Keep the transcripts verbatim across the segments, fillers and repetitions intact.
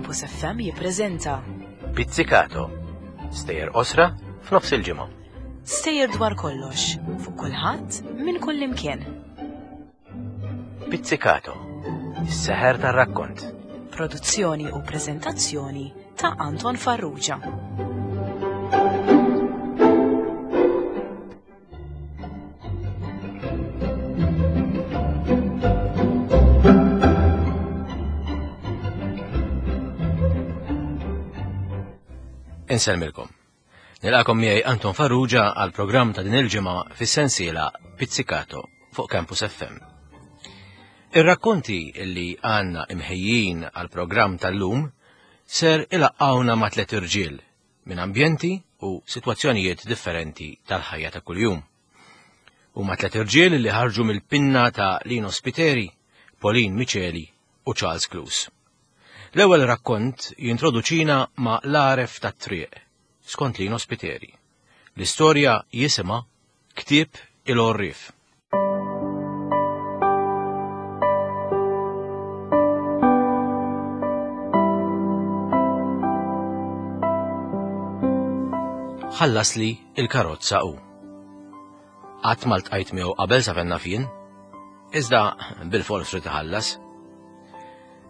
Campus F M jippreżenta Pizzicato, stejjer qosra f'nofs il-ġimgħa. Stejjer dwar kollox, fuq kulħadd minn kull imkien. Pizzicato, is-seħer tar-rakkont. Produzzjoni u preżentazzjoni ta' Anton Farrugia. Insellmilkom. Nilqakom miegħi Anton Farrugia għal programm ta' din il-ġimgħa fis-sensiela Pizzicato fuq Campus F M. Ir-rakkonti li għandna imħejjin għal programm tal-lum ser ilaqqawna ma' tliet irġiel minn ambjenti u sitwazzjonijiet differenti tal-ħajja ta' kuljum. Huma tliet irġiel li ħarġu mill-pinna ta' Lino Spiteri, Pauline Miceli u Charles Clews. L-ewwel rakkont jintroduċina ma' l-għaref tat-triq, skont Lino Spiteri. L-istorja jisimha Ktieb il-Għorrief. Ħallas li il-karozza hu. Qatt ma ltqajt miegħu qabel sa fenna fien, iżda bil-fors rid iħallas.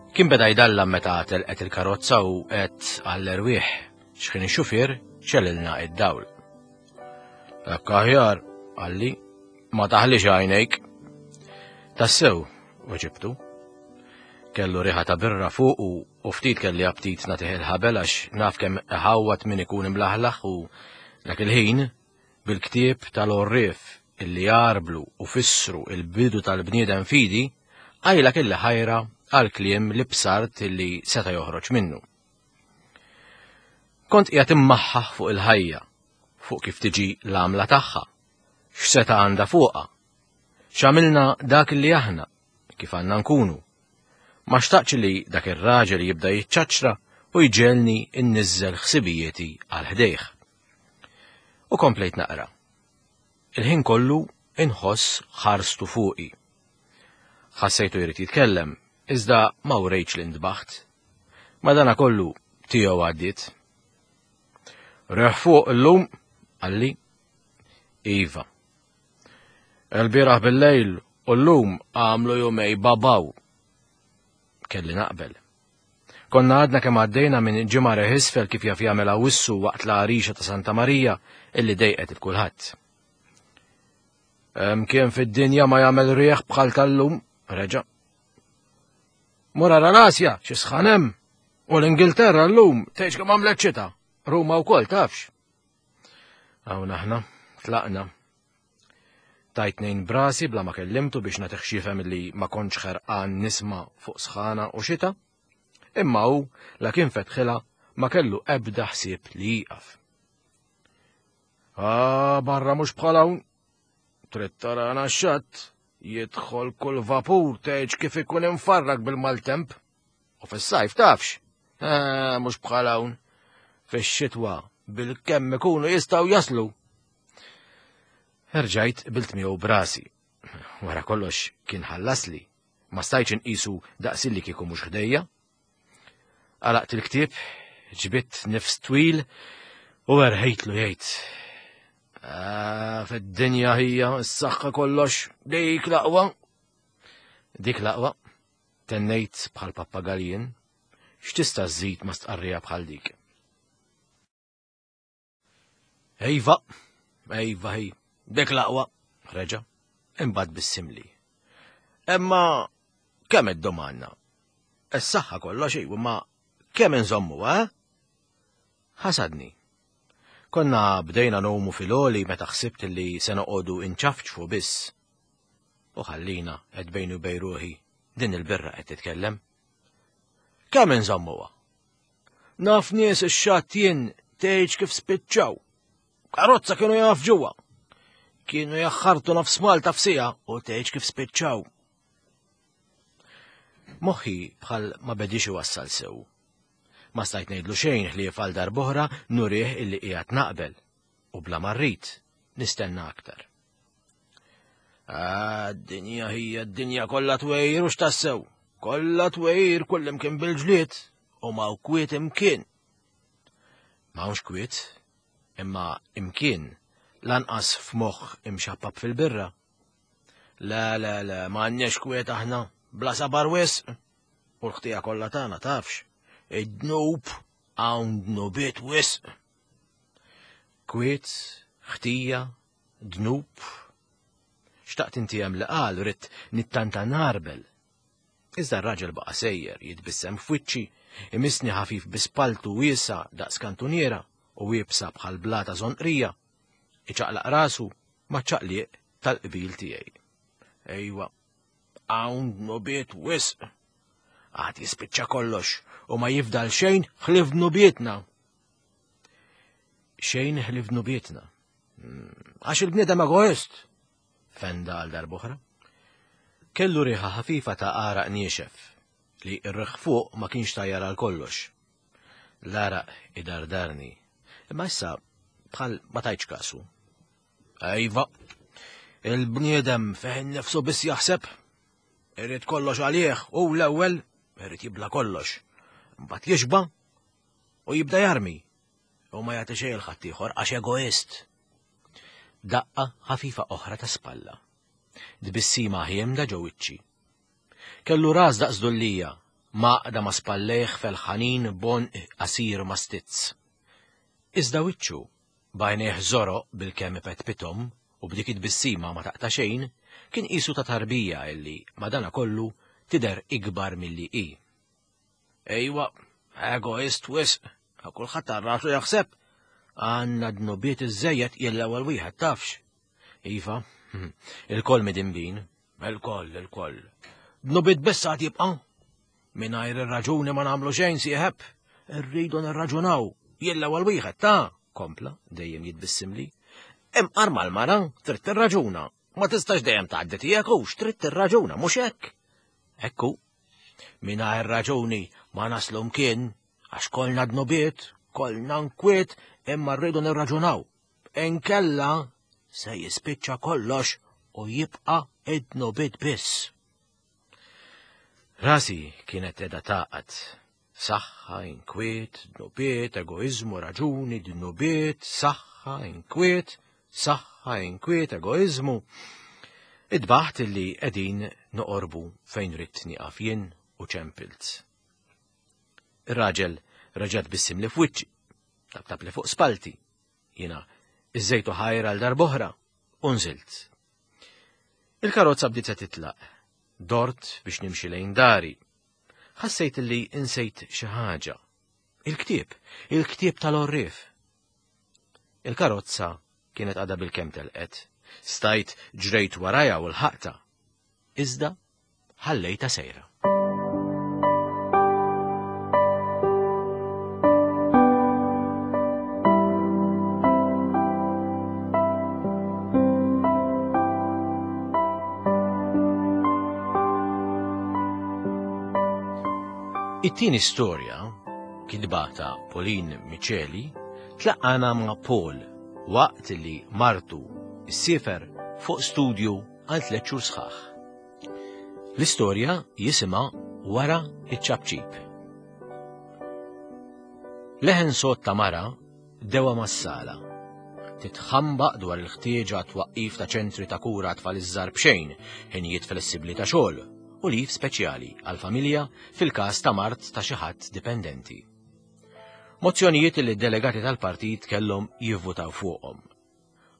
Kien beda jdallam meta telqet il-karozza u qed għall-erwieħ x'kien ix-xufier ċelilna id-dawl. Hekk aħjar, qalli, ma taħlix għajnejk. Tassew, weġibtu. Kellu riħa ta' birra fuq u, u ftit kelli aptit nagħtih il-ħabel għax naf kemm iħawwat min ikun imlaħlaħ u dak il-ħin bil-ktieb tal-għorrief illi jarblu u fissru il-bidu tal-bniedem fidi, għajla kelli ħajra għal kliem li bsart illi seta' joħroġ minnu. Kont qiegħed immaħħaħ fuq il-ħajja, fuq kif tiġi l-għamla tagħha, x'seta' għandha fuqha, x'għamilna dak li aħna, kif għandna nkunu. Ma xtaqx li dak ir-raġel jibda jiċċaċċra u jġelni nniżżel ħsibijieti għal ħdejh. U komplejt naqra. Il-ħin kollu inħoss ħarstu fuqi. Ħassejtu jrid jitkellem, iżda ma wrejtx li ntbaħt. Madana kollu tiegħu għaddiet. Reħ fuq illum, qalli. Iva. Il-bieraħ bil-lejl u llum għamlu jumej babaw. Kelli naqbel. Konna għadna kemm għaddejna minn ġimgħa reħ isfel kif jaf jagħmel Awwissu waqt l-għarixa ta' Santa Marija illi dejqet il kulħadd. Hemm kien fid-dinja ma jagħmel rieħ bħal tal-lum, reġa'. Mur ara l-Asja, xi sħan hemm. U l-Ingilterra llum tgħidx kemm għamlet xita. Ruma wkoll tafx. Hawn aħna tlaqna. Tajt nejn brasi bla ma kellimtu biex nagħtih x'jifhem li ma kontx ħerqan nisma' fuq sħana u xita. Imma hu la kien fetħilha ma kellu ebda ħsieb li jieqaf. Ah, barra mhux bħal hawn. Trid tarana x-xatt, jidħol kull vapur tgħidx kif ikun imfarrak bil-maltemp. U fis-sajf tafx. Ah, mhux bħal hawn. Fix-xitwa bil-kemm ikunu jistgħu jaslu. Erġajt qbilt miegħu brasi. Wara kollox kien ħallasli. Ma stajtx inqisu daqs illi kieku mhux ħdejja. Għalaqt il-ktieb, ġbidt nifs twil u erħejtlu jgħid. Ah, fid-dinja hija s-saħħa kollox, dik l-aqwa. Dik l-aqwa, tennejt bħal pappagaljen, x'tista' żżid ma stqarrija bħal dik. Ejva, ejva hi, dik l-aqwa, reġa', imbagħad bissimli. Imma kemm iddum għandna? Is-saħħa kollox hi, imma kemm inżommu, eh? Ħasadni. Konna bdejna nomu fil-għoli meta ħsibt li se noqogħdu inċafċfu biss. U ħallina qed bejni u bejn ruħi din il-birra qed titkellem. Kemm inżommuha? Naf nies ix-xatt jien tgħidx kif spiċċaw. Karozza kienu jaf ġewwa. Kienu jaħħartu nofs Malta f'sija u tgħidx kif spiċċaw. Moħħi bħal ma bedix iwassal sew. Ma stajt ngħidlu xejn ħlief għal darb'oħra nurih illi qiegħed naqbel u bla ma rrid nistenna aktar. Ah, d-dinja hija d-dinja kollha twejr u x'tassew. Kollha twejr kullimkien bil-ġlied u ma kwiet imkien. M'hawnx kwiet, imma imkien lanqas f'moħħ imxappab fil-birra. La, la, la, ma għandniex kwiet aħna, bla sabar wisq. U l-ħtija kollha tagħna tafx. Id-dnub hawn dnubiet wisq. Kwiet, ħtija, dnub. Xtaqt inti hemm li qal ridt nittanta narbel. Iżda r-raġel baqa' sejjer jitbissem f'wiċċi, imisni ħafif bi spaltu wiesa daqs kantuniera u wiebsa bħal blata żonqrija. Iċaqlaq rasu ma' ċaqliq tal-qbil tiegħi. Ejwa, hawn dnubiet wisq. Għad jispiċċa kollox u ma jifdal xejn ħlief dnubietna. Xejn ħlief dnubietna. Għax il-bniedem egoist, fenda għal darb'oħra. Kellu riħa ħafifa ta' għaraq niexef li r-riħ fuq ma kienx tajjar għal kollox. L-għaraq idardarni, imma issa bħal ma tajtx kasu. Ejva, il-bniedem fih nifsu biss jaħseb, irid kollox għalih u l-ewwel irid jibla kollox. Mbagħad jixba' u jibda jarmi u ma jagħti xejn il-ħaddieħor għax egoist. Daqqa ħafifa oħra ta' spalla. Tbissima ħiemda ġo wiċċi. Kellu ras daqs dullija, maqda ma' spallejh felħanin b'għonq qasir ma' stizz. Iżda wiċċu, b'għajnejh żoroq bil-kemm ipetpithom u b'dik it-tbissima ma taqta' xejn, kien qisu ta' tarbija illi madana kollu tidher ikbar milli hi. Ejwa, egoist wisq, kulħadd għal rasu jaħseb. Għandna dnubiet iżżejjed jien l-ewwel wieħed tafx. Iva, il-koll midinbin, il-koll, il-koll. Dnubiet biss għad jibqa'. Mingħajr ir-raġuni ma nagħmlu xejn sieħeb. Irridu nirraġunaw. Jien l-ewwel wieħed ta' kompla dejjem jitbissimli. Imqar mal-mara trid tirraġuna. Ma tistax dejjem tgħaddi tiegħek hux trid tirraġuna, mhux hekk. Ekku. Mingħajr raġuni ma naslu mkien għax kollna dnubiet, kollna nkwiet, imma rridu nirraġunaw. Inkella se jispiċċa kollox u jibqa' id-dnubiet biss. Rasi kienet qiegħda taqgħad. Saħħa, inkwiet, dnubiet, egoiżmu, raġuni, dnubiet, saħħa, inkwiet, saħħa, inkwiet, egoiżmu. Idbaħt illi qegħdin noqorbu fejn ridt nieqaf jien u ċempilt. Ir-raġel reġa' tbissim li f'wiċċi, tabtab li fuq spalti. Jiena iżejtu ħajr għal darb'oħra u nżilt. Il-karozza bdiet se titlaq. Dort biex nimxi lejn dari. Ħassejt li insejt xi ħaġa. Il-ktieb, il-ktieb tal-għorrief. Il-karozza kienet għadha bil-kemm telqet. Stajt ġrejt warajha u l-ħaqta. Iżda ħallejta sejra. It-tieni storja, kitba ta' Pauline Miceli, tlaqqana ma' Paul waqt li martu ssifer fuq studju għal tliet xhur sħaħ. L-istorja jisimha Wara iċ-ċapċip. Leħen sod ta' mara dewa mas-sala. Titħambaq dwar il-ħtieġa twaqqif ta' ċentri ta' kura tfal iż-żgħar b'xejn, ħinijiet flessibbli ta' xogħol u lif speċjali għal-familja fil-każ ta' mard ta' xi ħadd dipendenti. Mozzjonijiet li d-delegati tal-partit kellhom jivvutaw fuqhom.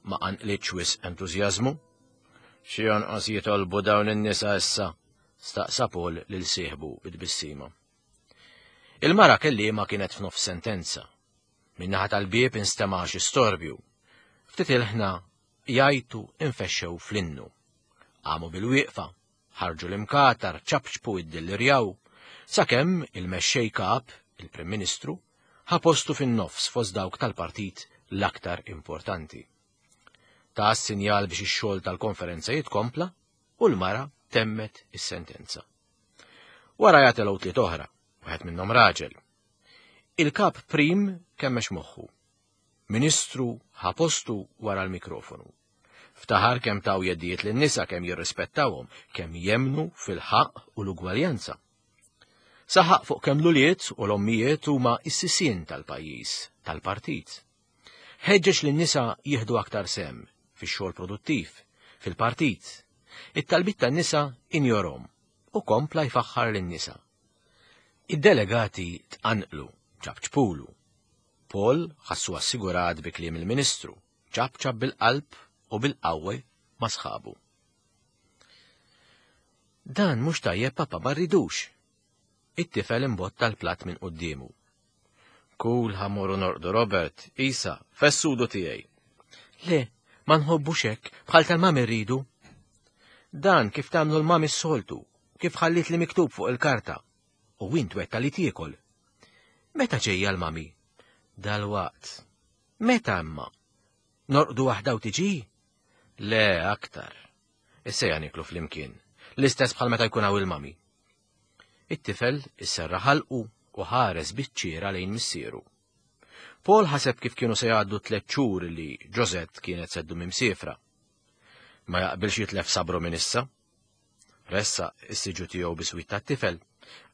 Ma qanqlitx wisq entużjażmu. Xi jonqos jitolbu dawn in-nisa issa, staqsa Paul lil sieħbu bit-tbissima. Il-mara kelliema kienet f'nofs sentenza. Min-naħa tal-bieb instema' xi storbju. Ftit il-ħna jgħajtu infexxew fl-innu. Qamu bil-wieqfa, ħarġu l-imkatar, ċapċpu id-dillirjaw, sakemm il-mexxej kap, il-Prim Ministru, ħa postu fin-nofs fost dawk tal-partit l-aktar importanti. Ta' sinjal biex ix-xogħol tal-konferenza jitkompla u l-mara temmet is-sentenza. Wara jagħtelgħu tliet oħra, wieħed minnhom raġel. Il-kap prim kemmex moħħu. Ministru ħa postu wara l-mikrofonu. Ftaħar kemm taw jeddijiet lin-nisa, kemm jirrispettawhom, kemm jemnu fil-ħaqq u l-ugwaljanza. Saħaq fuq kemm l-ulied u l-ommijiet huma s-sisien tal-pajjiż, tal-partit. Ħeġġeġ lin-nisa jieħdu aktar sehem fix-xogħol produttiv, fil-partit. It-talbiet tan-nisa injorhom u kompla jfaħħar lin-nisa. Id-delegati tqanqlu, ċapċpulu. Paul ħassu assigurat bi kliem il-Ministru, ċapċap bil-qalb u bil-qawwi ma' sħabu. Dan mhux tajjeb papa ma rridux. It-tifel imbotta l-platt minn quddiemu. Kul ħa mmorru norqdu Robert, Isa, fessudu tiegħi. Le, ma nħobbux hekk, bħal tal-mami rridu. Dan kif tagħmlu l-mami s-soltu, kif ħallit li miktub fuq il-karta. U int wetta li tiekol. Meta ġejja l-mami? Dal-waqt. Meta imma? Norqdu waħda u tiġi? Le, aktar. Issa niklu flimkien. L-istess bħal meta jkun hawn il-mami. It-tifel isserra ħalqu u ħares biċ-ċiera lejn missieru. Paul ħaseb kif kienu se jgħaddu tliet xhur li Josette kienet se ddum imsiefra. Ma jaqbilx jitlef sabru minn issa. Ressaq is-siġġu tiegħu biswit tat-tifel,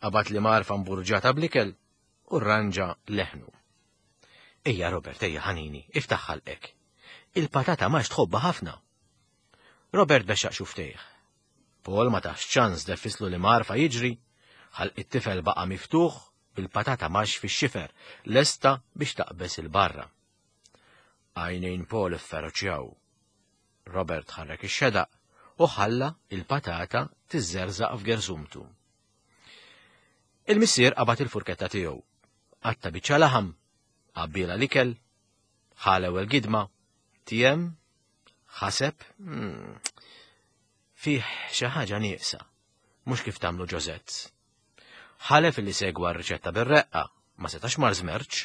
qabad l-imgħarfa mburġata bl-ikel u rranġa leħnu. Ejja Robert, ejja ħanini, iftaħ ħalqek. Il-patata max tħobbha ħafna. Robert bexxaq xufftejh. Paul ma tahx ċans deffislu l-imgħarfa jiġri, ħalq it-tifel baqa miftuħ bil-patata max fix-xifer, lesta biex taqbeż 'il barra. Għajnejn Paul ifferoċjaw. Robert ħarrek ix-xedaq u ħalla il-patata tiżżerżaq f'gerżumtu. Il-missier qabad il-furketta tiegħu. Qatta' biċċa laħam, għabbielha l-ikel, ħa l-ewwel gidma, tiegħem, ħaseb, hmm, fih xi ħaġa nieqsa, mhux kif tagħmlu Josette. Ħalef li segwa r-riċetta bir-reqqa, ma setax mar żmerċ,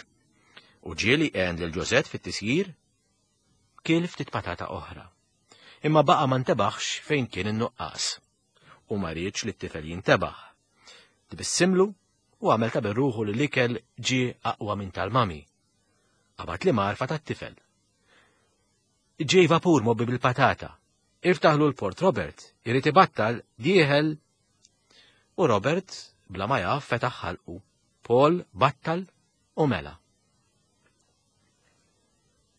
u ġieli għen lil Josette fit-tisjir, kiel ftit patata oħra. Imma baqa ma ntebaħx fejn kien in-nuqqas. U ma riedx li t-tifel jintebaħ. Tbissimlu u għamel ta' berruħu li l-ikel ġie aqwa minn tal-mami. Qabad l-imgħarfa tat-tifel. Ġej vapur mgħobbi bil-patata. Iftaħlu l-port Robert, irid ibattal dieħel. U Robert, bla ma jaf, fetaħ ħalqu. Paul battal u mela.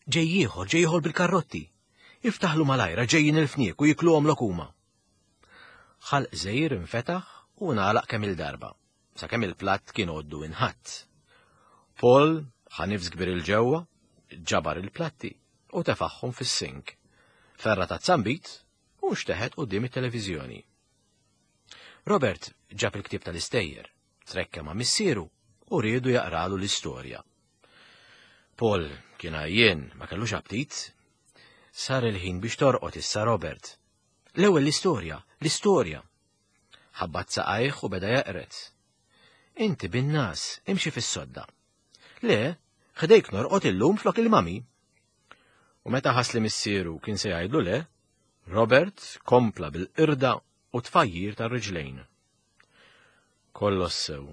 Ġej ieħor, ġej ieħor bil-karrotti. Iftaħlu malajra ġejjin il-fniek u jikluhom lokuma. Ħalq żgħir infetaħ u ngħalaq kemm il-darba, sakemm il-platt kien għoddu inħatt. Paul ħa nifs kbir 'il ġewwa, ġabar il-platti u tefaħħom fis-sink. Ferra tazza nbid u nxteħet quddiem it-televiżjoni. Robert ġab il-ktieb tal-istejjer, trekka ma' missieru u riedu jaqralu l-istorja. Paul kien għajjien, ma kellux aptit. Sar il-ħin biex torqod issa Robert. L-ewwel l-istorja, l-istorja. Ħabbat saqajh u beda jaqret. Inti bin-nas, imxi fis-sodda. Le, ħdejk norqod illum flok il-mami. U meta ħass li missieru kien se jgħidlu le, Robert kompla bil-qirda u tfajjir tar-riġlejn. Kollox sew.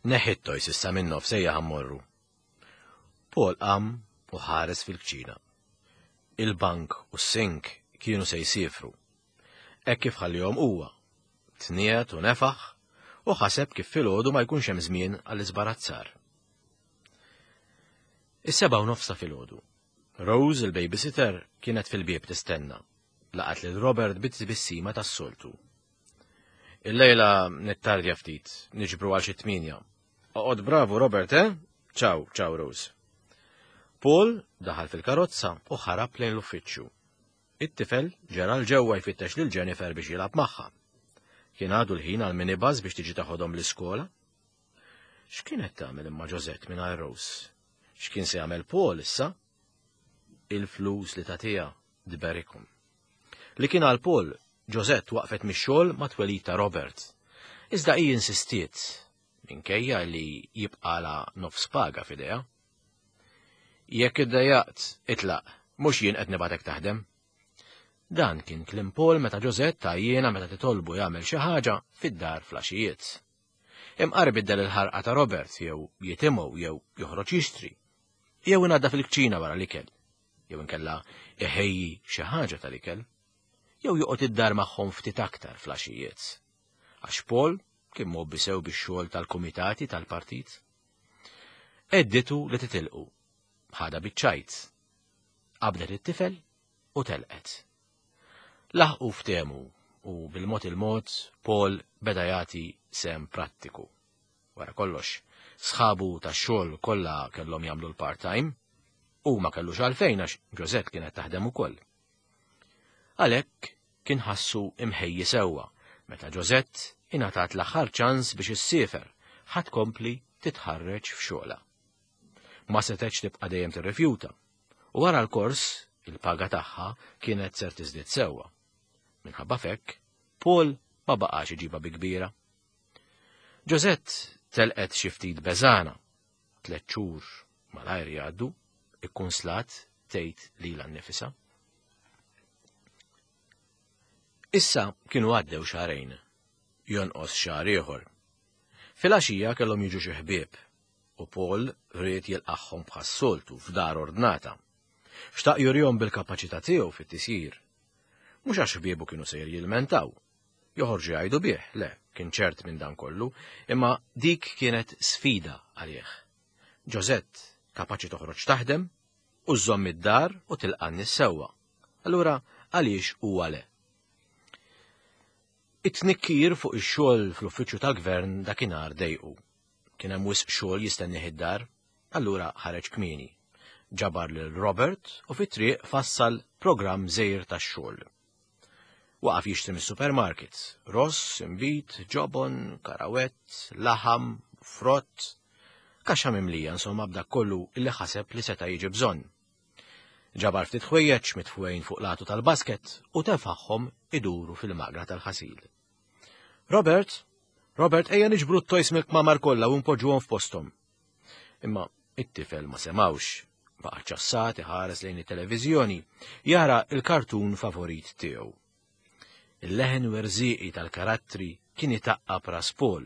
Neħi t-toys issa minn nofs ejja ħa mmorru. Paul qam u ħares fil-kċina. Il-bank u s-sink kienu se jsiefru. Hekk kif ħallihom huwa. Tniegħed u nefaħ u ħaseb kif filgħodu ma jkunx hemm żmien għall-iżbarazzar. Is-sebgħa u nofs ta' filgħodu. Rose, il-babysitter, kienet fil-bieb tistenna. Laqgħet lil Robert bit-tbissima tas-soltu. Il-lejla nittardja ftit, niġbru għal xi tmienja. Oqgħod bravu Robert, eh? Ciao, ciao Rose. Paul daħal fil-karozza u ħarab lejn l-uffiċċju. It-tifel ġera 'l ġewwa jfittex lil Jennifer biex jilgħab magħha. Kien għadu l-ħin għal minibus biex tiġi taħodhom l-iskola. X'kienet tagħmel imma Josette mingħajr Rose? X'kien se jagħmel Paul issa? Il-flus li tagħtiha tberikhom. Li kien għal Paul, Josette waqfet mix-xogħol ma' twelid ta' Robert. Iżda hi insistiet minkejja li jibqala nofs paga f'idejha. Jekk iddejjaqt, itlaq, mhux jien qed nibgħatek taħdem. Dan kien kliem Paul meta Josette għajjiena meta titolbu jagħmel xi ħaġa fid-dar flaxijiet. Imqar biddel il-ħarqa ta' Robert jew jitimgħu jew joħroġ jixtri. Jew inaddaf il-kċina wara l-ikel. Jew inkella iħejji xi ħaġa tal-ikel. Jew joqgħod id-dar magħhom ftit aktar flaxijiet. Għax Paul Kien mgħobbi sew bix-xogħol tal-kumitati tal-partit. Edditu li titilqu. Ħada biċ-ċajt. Qabdet it-tifel u telqet. Laħqu ftehmu u bil-mod il-mod Paul beda jagħti sem prattiku. Wara kollox, sħabu tax-xogħol kollha kellhom jagħmlu l-part-time u ma kellux għalfejn għax Josette kienet taħdem ukoll. Għalhekk kien ħassu imħejji sewwa meta Josette ingħatat l-aħħar ċans biex issiefer ħa tkompli titħarreġ f'xogħla. Ma setgħetx tibqa' dejjem tirrifjuta u wara l-kors il-paga tagħha kienet ser tiżdied sewwa. Minħabba fekk, Paul ma baqax iġibha bi kbira. Josette telqet xi ftit beżana, tliet xhur malajr jgħaddu, ikkunslat tgħid lilha nnifisha. Issa kienu għaddew xahrejn, jonqos xahar ieħor. Filgħaxija kellhom jiġu xi ħbieb u Paul ried jilqagħhom bħas-soltu f'dar ordnata. Xtaq jurihom bil-kapaċità tiegħu fit-tisjir. Mhux għax ħbiebu kienu sejr jilmentaw, joħorġu jgħidu bih, le, kien ċert minn dan kollu, imma dik kienet sfida għalih. Josette kapaċi toħroġ taħdem u żżomm id-dar u tilqa' n-nies sewwa. Allura għaliex huwa le? It-tnikkir fuq ix-xogħol fl-uffiċċju tal-gvern dakinhar dejqu. Kien hemm wisq xogħol jistennih id-dar, allura ħareġ kmieni. Ġabar lil Robert u fit-triq fassal programm żgħir tax-xogħol. Waqaf jixtri mis-supermarket, ross, imbit, ġobon, karawett, laħam, frott, kaxxa mimlija insomma b'dak kollu illi ħaseb li seta' jiġi bżonn. Ġabar ftit ħwejjeġ mitfwejn fuq latu tal-basket u tefagħhom iduru fil-magra tal-ħasil. Robert, Robert, ejja niġbru t-toys mill-kmamar kollha u npoġġuhom f'posthom. Imma it-tifel ma semawx, baqa' ċassat iħares lejn it-televiżjoni, jara il-kartun favorit tiegħu. Il-leħen werżieqi tal-karattri kien itaqqab ras Paul.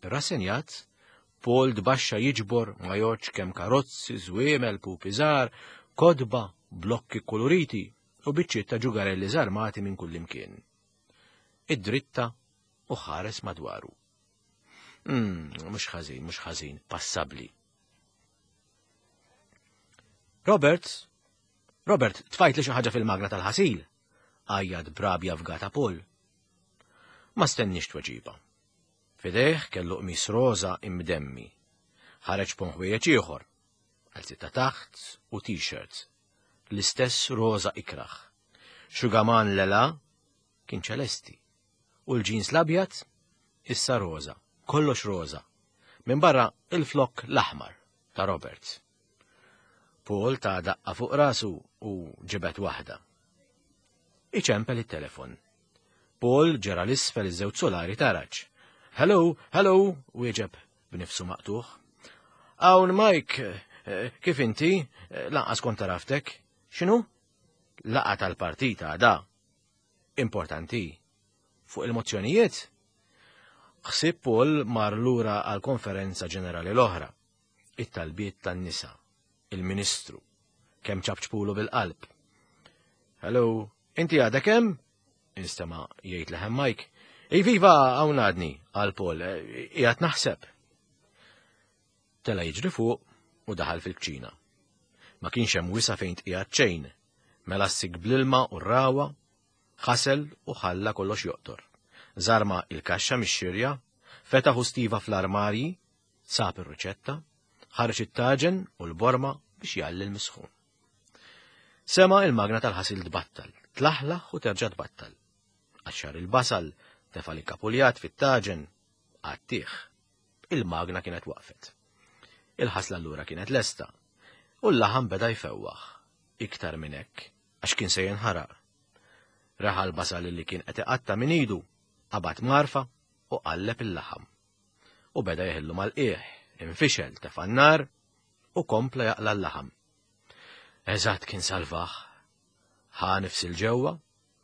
Rassenjat, Paul tbaxxa jiġbor ma jgħodx kemm karozzi, żwiemel, pupi żgħar, kodba, blokki koloriti u biċċiet ta' ġugarelli żarmati minn kullimkien. Id-dritta u ħares madwaru. Mm, mhux ħażin, mhux ħażin, passabbli. Robert, Robert, tfajt li xi ħaġa fil-magna tal-ħasil, għajjad brabja fgata Paul. Ma stenniex tweġiba. Fidejh kellu qmis roża imdemmi. Ħareġ pon ħwejjeġ ieħor, għal ta' taħt u t-shirt. L-istess roża ikraħ. Xugaman lela kien ċelesti. U l-ġins l-abjad issa roża, kollox roża. Minn barra il-flok l-aħmar ta' Robert. Paul ta' daqqa fuq rasu u ġibet waħda. Iċempel it-telefon. Paul ġera l-isfel iż-żewġ solari taraġ. Hello, hello, wieġeb b'nifsu maqtuħ. Hawn Mike, kif inti? Lanqas kont taraftek. X'inhu? Laqgħa tal-partita da. Importanti. Fuq il-mozzjonijiet? Ħsieb Paul mar lura għal-konferenza ġenerali l-oħra. It-talbiet tan-nisa. Il-ministru. Kemm ċapċpulu bil-qalb. Hello, inti għadek hemm? Instema' jgħid leħen Mike. Iviva, hawn għadni, qal Paul, qiegħed naħseb. Tela jiġri fuq u daħal fil-kċina. Ma kienx hemm wisa fejn tqiegħed xejn, mela ssik bl-ilma u r-rawa, ħasel u ħalla kollox joqtor. Żarma il-kaxxa mix-xirja, fetaħ u stiva fl-armarji, sab ir-riċetta, ħareġ it-taġen u l-borma biex jgħalli l-misħun. Sema il-magna tal-ħasil tbattal, tlaħlaħ u terġa' tbattal. Qaxxar il-basal, tefa' l-kapuljat fit-taġen, għattih. Il-magna kienet waqfet. Il-ħasla allura kienet lesta, u l-laħam beda jfewwaħ, iktar minn hekk, għax kien se jinħaraq. Raħa l-basal li kien qed iqatta' minn idu, qabad marfa u qalleb il-laħam. U beda jeħillu mal-qiegħ, infixel, tefa' n-nar u kompla jaqla l-laħam. Eżatt kien salvaħ. Ħa nifs il-ġewwa,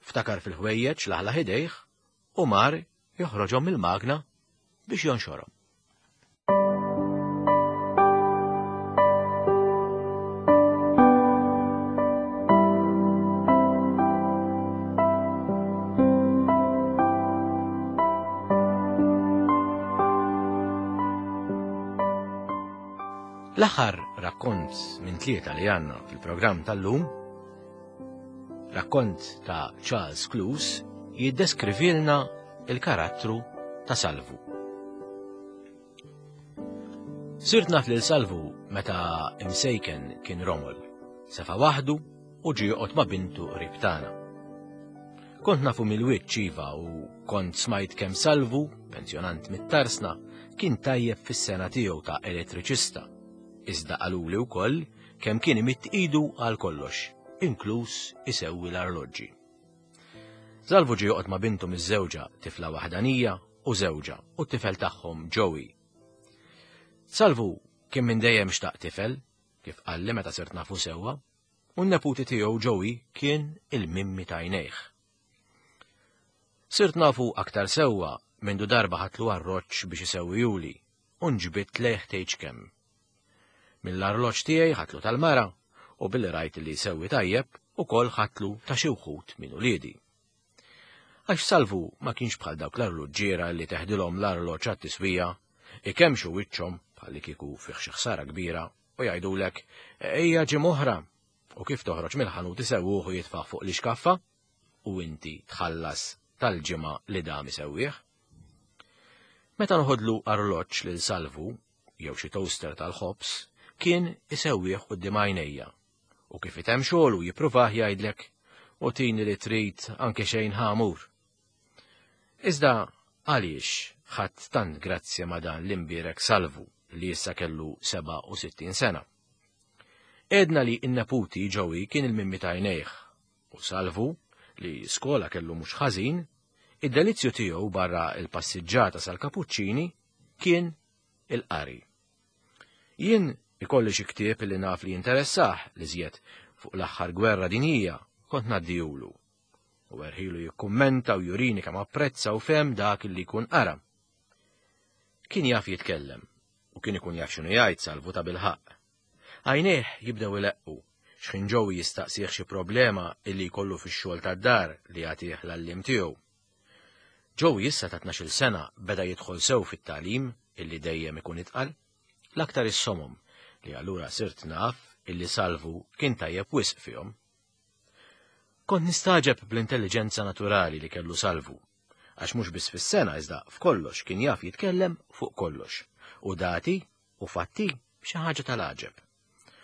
ftakar fil-ħwejjeġ laħlaħ idejh u mar joħroġhom mill-magna biex jonxorhom. L-aħħar rakkont minn tlieta li għandna fil-programm tal-lum, rakkont ta' Charles Cluse, jiddeskrivilna il-karattru ta' Salvu. Sirt naf lil Salvu meta imsejken kien romol, sefa waħdu u ġie joqgħod ma' bintu qrib tagħna. Kont nafu mill-wiċċ iva u kont smajt kemm Salvu, pensjonant mit-tarsna, kien tajjeb fis-sena tiegħu ta' elettriċista. Iżda qaluli wkoll kemm kien imidd idu għal kollox, inkluż isewwi l-arloġġi. Salvu ġie joqgħod ma' bintu miż-żewġa tifla waħdanija u żewġa u t-tifel tagħhom Joey. Salvu kien minn dejjem xtaq tifel, kif qalli meta sirt nafu sewwa, u n-neputi tiegħu Joey kien il-mimmi ta' għajnejh. Sirt nafu aktar sewwa mindu darba ħadtlu arloġġ biex isewwihuli u nġbidt lejh tgħidx kemm. Mill-arloġġ tiegħi ħadtlu tal-mara u billi rajt li jsewwi tajjeb ukoll ħadtlu ta' xi wħud minn uliedi. Għax Salvu ma kienx bħal dawk l-arloġġiera li teħdilhom l-arloġġ għat-tiswija, ikemxu wiċċhom bħalli kieku fih xi ħsara kbira u jgħidulek ejja ġimgħa oħra u kif toħroġ mill-ħanut isewwuh u jitfgħuh fuq l-ixkaffa u inti tħallas tal-ġimgħa li dam isewwih. Meta noħodlu arloġġ lil Salvu jew xi toaster tal-ħobż, kien isewwih quddiem għajnejja u kif itemm xogħlu jippruvah jgħidlek u tini li trid anke xejn ħamur. Iżda għaliex ħadd tant grazzja ma' dan l-imbierek Salvu li issa kellu seba' u sittin sena. Edna li n-neputi Joey kien il-mimmi ta' għajnejh u Salvu li skola kellu mhux ħażin, id-delizzju tiegħu barra il-passiġġata sal-Kapuċċini kien il-qari. Jien ikolli xi ktieb li naf li jinteressah li żjed fuq l-aħħar gwerra dinjija kont ngħaddihulu. U erħilu jikkummenta u jurini kemm apprezza u fehem dak li jkun qara. Kien jaf jitkellem u kien ikun jaf x'inhu jgħid Salvu ta' bilħaqq. Għajnejh jibdew ileqqu x'ħin Joey jistaqsih xi problema illi jkollu fix-xogħol tad-dar li jagħtih l-għalliem tiegħu. Joey issa ta' tnax-il sena beda jidħol sew fit-tagħlim illi dejjem ikun itqal, l-aktar is-somom li allura sirt naf illi Salvu kien tajjeb wisq fihom. Kont nistaġeb bl-intelligenza naturali li kellu Salvu, għax mhux biss fis-sena iżda f'kollox kien jaf jitkellem fuq kollox, u dati u fatti xi ħaġa tal-għaġeb.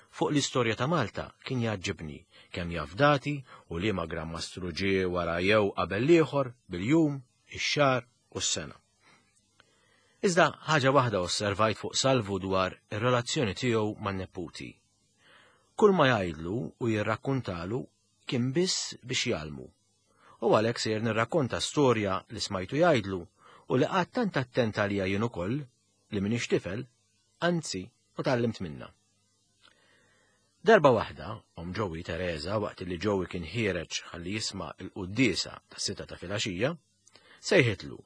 Fuq l-istorja ta' Malta kien jgħaġġibni kemm jaf dati u liema Gran Mastru ġie wara jew qabel l-ieħor bil-jum, ix-xahar u s-sena. Iżda ħaġa waħda osservajt fuq Salvu dwar ir-relazzjoni tiegħu man-neputi. Kull ma jgħidlu u jirrakkuntalu kien biss biex jgħallmu. U għalhekk sejjer nirrakkonta storja li smajtu jgħidlu u li qatt tant attent għalija jien ukoll li m'iniex tifel, anzi, u tgħallimt minnha. Darba waħda, omm Joey Teresa, waqt li Joey kien ħiereġ ħalli jisma' l-quddiesa ta' sita ta' filgħaxija, sejħitlu,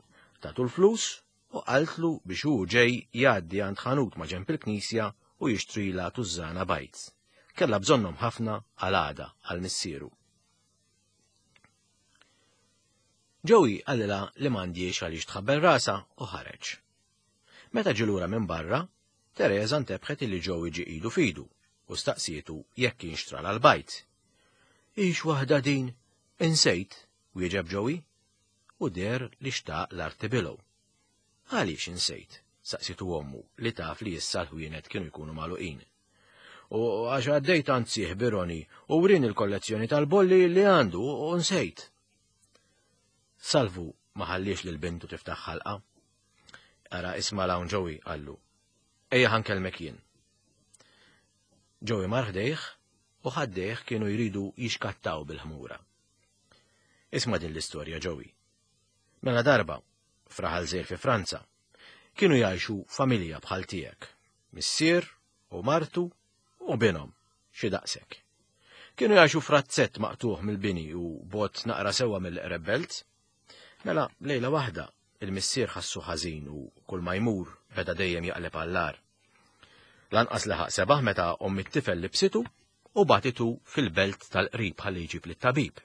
tatu l-flus u qaltlu biex hu ġej jgħaddi għand ħanut ma' ġenb il-knisja u jixtrila tużżana bajd. Kellha bżonnhom ħafna għal għada għal missieru. Joey qalilha li m'għandhiex għaliex tħabbel rasha u ħareġ. Meta ġie lura minn barra, Teresa ntebħet illi Joey ġie idu fidu u staqsietu jekk kien xtrala l-bajd. Ix waħda din, insejt, wieġeb Joey, u der li xtaq l-arti bilgħu. Għaliex insejt, saqsitu ommu li taf li issa l-ħwienet kienu jkunu magħluqin. U għax għaddejt għand sieħ Bironi u wrin il-kollezzjoni tal-bolli li għandu u nsejt. Salvu ma ħalliex lil bintu tiftaħ ħalqa. Ara isma' l'hawn Joey, qallu. Ejja ħankellmek jien. Joey mar ħdejh u ħaddejh kienu jridu jixkattaw bil-ħmura. Isma' din l-istorja, Joey. Mela darba, f'raħal żgħir fi Franza, kienu jgħixu familja bħal tiegħek, missier u martu u binhom, xi daqshekk. Kienu jgħixu frazzett maqtuħ mill-bini u bot naqra sewwa mill-eqreb belt. Mela lejla waħda il-missier ħassu ħażin u kull ma jmur beda dejjem jaqleb għall-ar. Lanqas laħaq sebaħ meta omm it-tifel libsitu u batitu fil-belt tal-qrib ħalli jġib lit-tabib.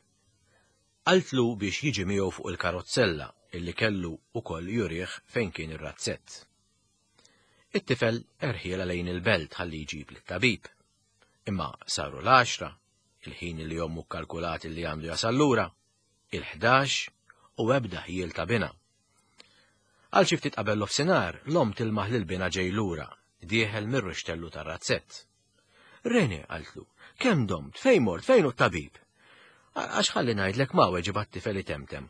Qaltlu biex jiġi miegħu fuq il-karozzella illi kellu ukoll jurih fejn kien ir-razzett. It-tifel erħiela lejn il-belt ħalli jġib lit-tabib. Imma saru l-għaxra, il-ħin li ommu kkalkulat li għandu jasal lura, il-ħdax u ebda ħjiel ta' binha. Għal xi ftit qabel nofsinhar, l-omm tilmaħ lil binha ġej lura, dieħel mir-ruxtellu tar-razzett. Rene, qaltlu, kemm domt, fejn mort, fejn hu t-tabib? Għax ħalli ngħidlek ma weġibha t-tifel itemtem.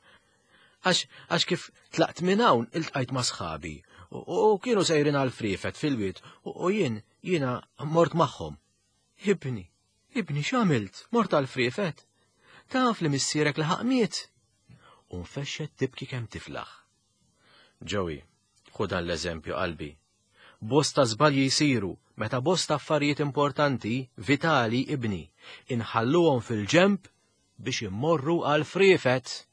Għax għax kif tlaqt minn hawn iltqajt ma' sħabi u kienu sejrin għal friefet fil-wied u jien jiena mort magħhom. Ibni, ibni x'għamilt? Mort għal friefet? Taf li missierek laħaq miet? U nfexxet tibki kemm tiflaħ. Joey, ħu dan l-eżempju qalbi. Bosta żbalji jsiru meta bosta affarijiet importanti, vitali, ibni, inħalluhom fil-ġemp biex immorru għal friefet.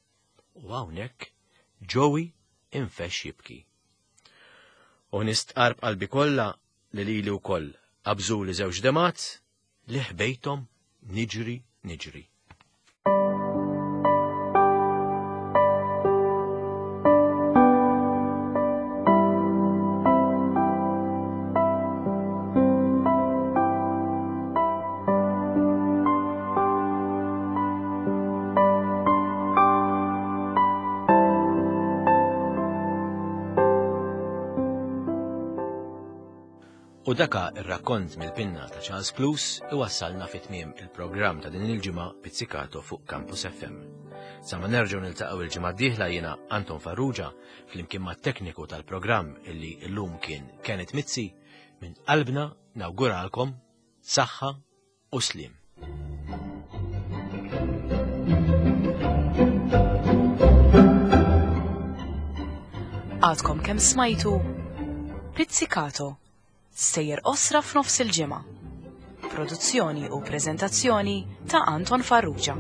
U hawnhekk Joey infexx jibki. U nistqar b'qalbi kollha li lili wkoll qabżuli żewġ demgħat li ħbejthom niġri niġri. U daka ir-rakkont mill-pinna ta' Charles Cluse iwassalna fi tmiem il-programm ta' din il-ġimgħa Pizzicato fuq Campus F M. Sa ma nerġgħu niltaqgħu il-ġimgħa d-dieħla, jiena Anton Farrugia flimkien mat-tekniku tal-programm illi llum kien Kenneth Mizzi, minn qalbna nawguralkom saħħa u slim. Għadkom kemm smajtu Pizzicato, stejjer qosra f'nofs il-ġimgħa. Produzzjoni u preżentazzjoni ta' Anton Farrugia.